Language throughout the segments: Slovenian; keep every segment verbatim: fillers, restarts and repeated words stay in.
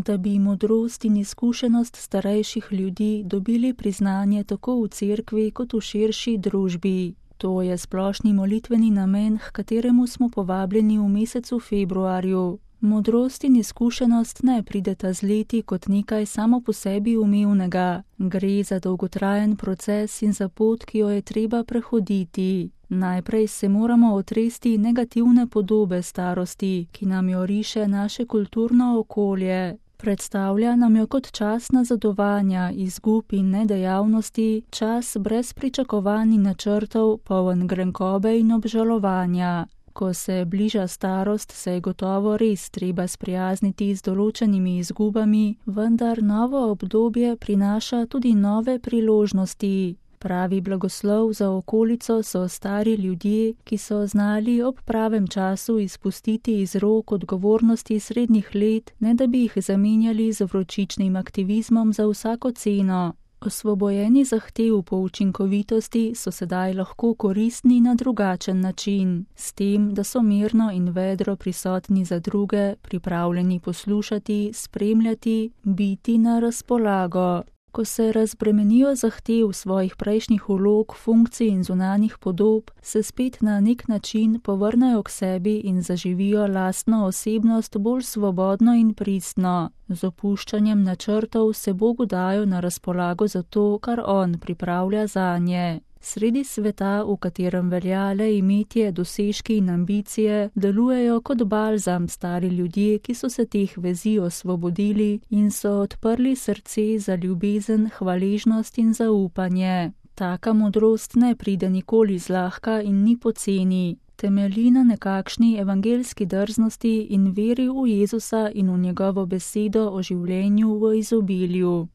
Da bi modrost in izkušenost starejših ljudi dobili priznanje tako v cerkvi kot v širši družbi. To je splošni molitveni namen, h kateremu smo povabljeni v mesecu februarju. Modrost in izkušenost ne prideta z leti kot nekaj samo po sebi umevnega. Gre za dolgotrajen proces in za pot, ki jo je treba prehoditi. Najprej se moramo otresti negativne podobe starosti, ki nam jo riše naše kulturno okolje. Predstavlja nam jo kot čas nazadovanja, izgub in nedejavnosti, čas brez pričakovanj in načrtov, poln grenkobe in obžalovanja. Ko se bliža starost, se je gotovo res treba sprijazniti z določenimi izgubami, vendar novo obdobje prinaša tudi nove priložnosti. Pravi blagoslov za okolico so stari ljudje, ki so znali ob pravem času izpustiti iz rok odgovornosti srednjih let, ne da bi jih zamenjali z vročičnim aktivizmom za vsako ceno. Osvobojeni zahtev po učinkovitosti so sedaj lahko koristni na drugačen način, s tem, da so mirno in vedro prisotni za druge, pripravljeni poslušati, spremljati, biti na razpolago. Ko se razbremenijo zahtev svojih prejšnjih vlog, funkcij in zunanjih podob, se spet na nek način povrnejo k sebi in zaživijo lastno osebnost bolj svobodno in pristno. Z opuščanjem načrtov se Bogu dajo na razpolago za to, kar On pripravlja zanje. Sredi sveta, v katerem velja le imetje, dosežki in ambicije, delujejo kot balzam stari ljudje, ki so se teh vezi osvobodili in so odprli srce za ljubezen, hvaležnost in zaupanje. Taka modrost ne pride nikoli zlahka in ni poceni. Temelji na nekakšni evangelski drznosti in veri v Jezusa in v njegovo besedo o življenju v izobilju.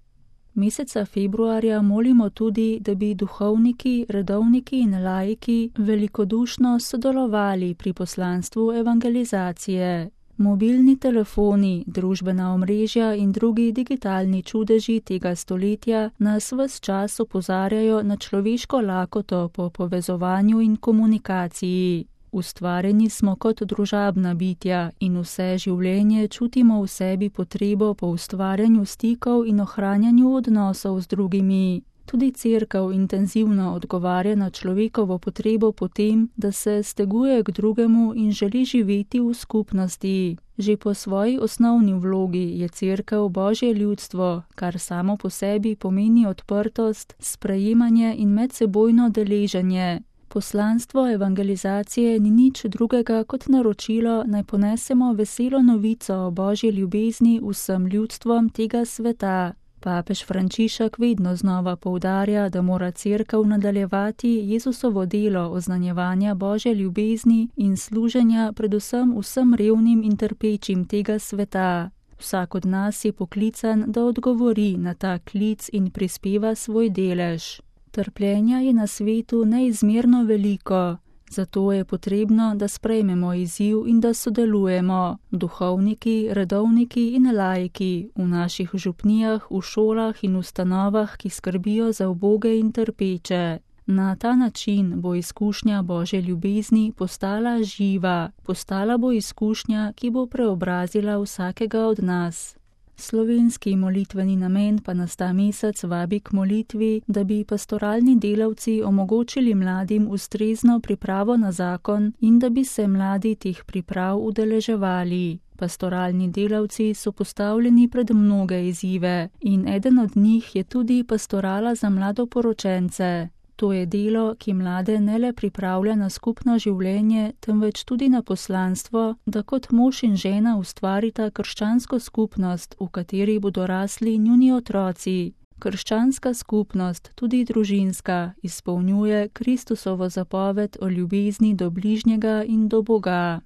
Meseca februarja molimo tudi, da bi duhovniki, redovniki in laiki velikodušno sodelovali pri poslanstvu evangelizacije. Mobilni telefoni, družbena omrežja in drugi digitalni čudeži tega stoletja nas ves čas opozarjajo na človeško lakoto po povezovanju in komunikaciji. Ustvarjeni smo kot družabna bitja in vse življenje čutimo v sebi potrebo po ustvarjanju stikov in ohranjanju odnosov z drugimi. Tudi cerkev intenzivno odgovarja na človekovo potrebo po tem, da se steguje k drugemu in želi živeti v skupnosti. Že po svoji osnovni vlogi je cerkev Božje ljudstvo, kar samo po sebi pomeni odprtost, sprejemanje in medsebojno deleženje. Poslanstvo evangelizacije ni nič drugega kot naročilo, naj ponesemo veselo novico o Božji ljubezni vsem ljudstvom tega sveta. Papež Frančišek vedno znova poudarja, da mora cerkev nadaljevati Jezusovo delo oznanjevanja Božje ljubezni in služenja predvsem vsem revnim in trpečim tega sveta. Vsak od nas je poklican, da odgovori na ta klic in prispeva svoj delež. Trpljenja je na svetu neizmerno veliko, zato je potrebno, da sprejmemo izziv in da sodelujemo, duhovniki, redovniki in laiki, v naših župnijah, v šolah in ustanovah, ki skrbijo za uboge in trpeče. Na ta način bo izkušnja Božje ljubezni postala živa, postala bo izkušnja, ki bo preobrazila vsakega od nas. Slovenski molitveni namen pa nas ta mesec vabi k molitvi, da bi pastoralni delavci omogočili mladim ustrezno pripravo na zakon in da bi se mladi teh priprav udeleževali. Pastoralni delavci so postavljeni pred mnoge izzive in eden od njih je tudi pastorala za mladoporočence. To je delo, ki mlade ne le pripravlja na skupno življenje, temveč tudi na poslanstvo, da kot mož in žena ustvarita krščansko skupnost, v kateri bodo rasli njuni otroci. Krščanska skupnost, tudi družinska, izpolnjuje Kristusovo zapoved o ljubezni do bližnjega in do Boga.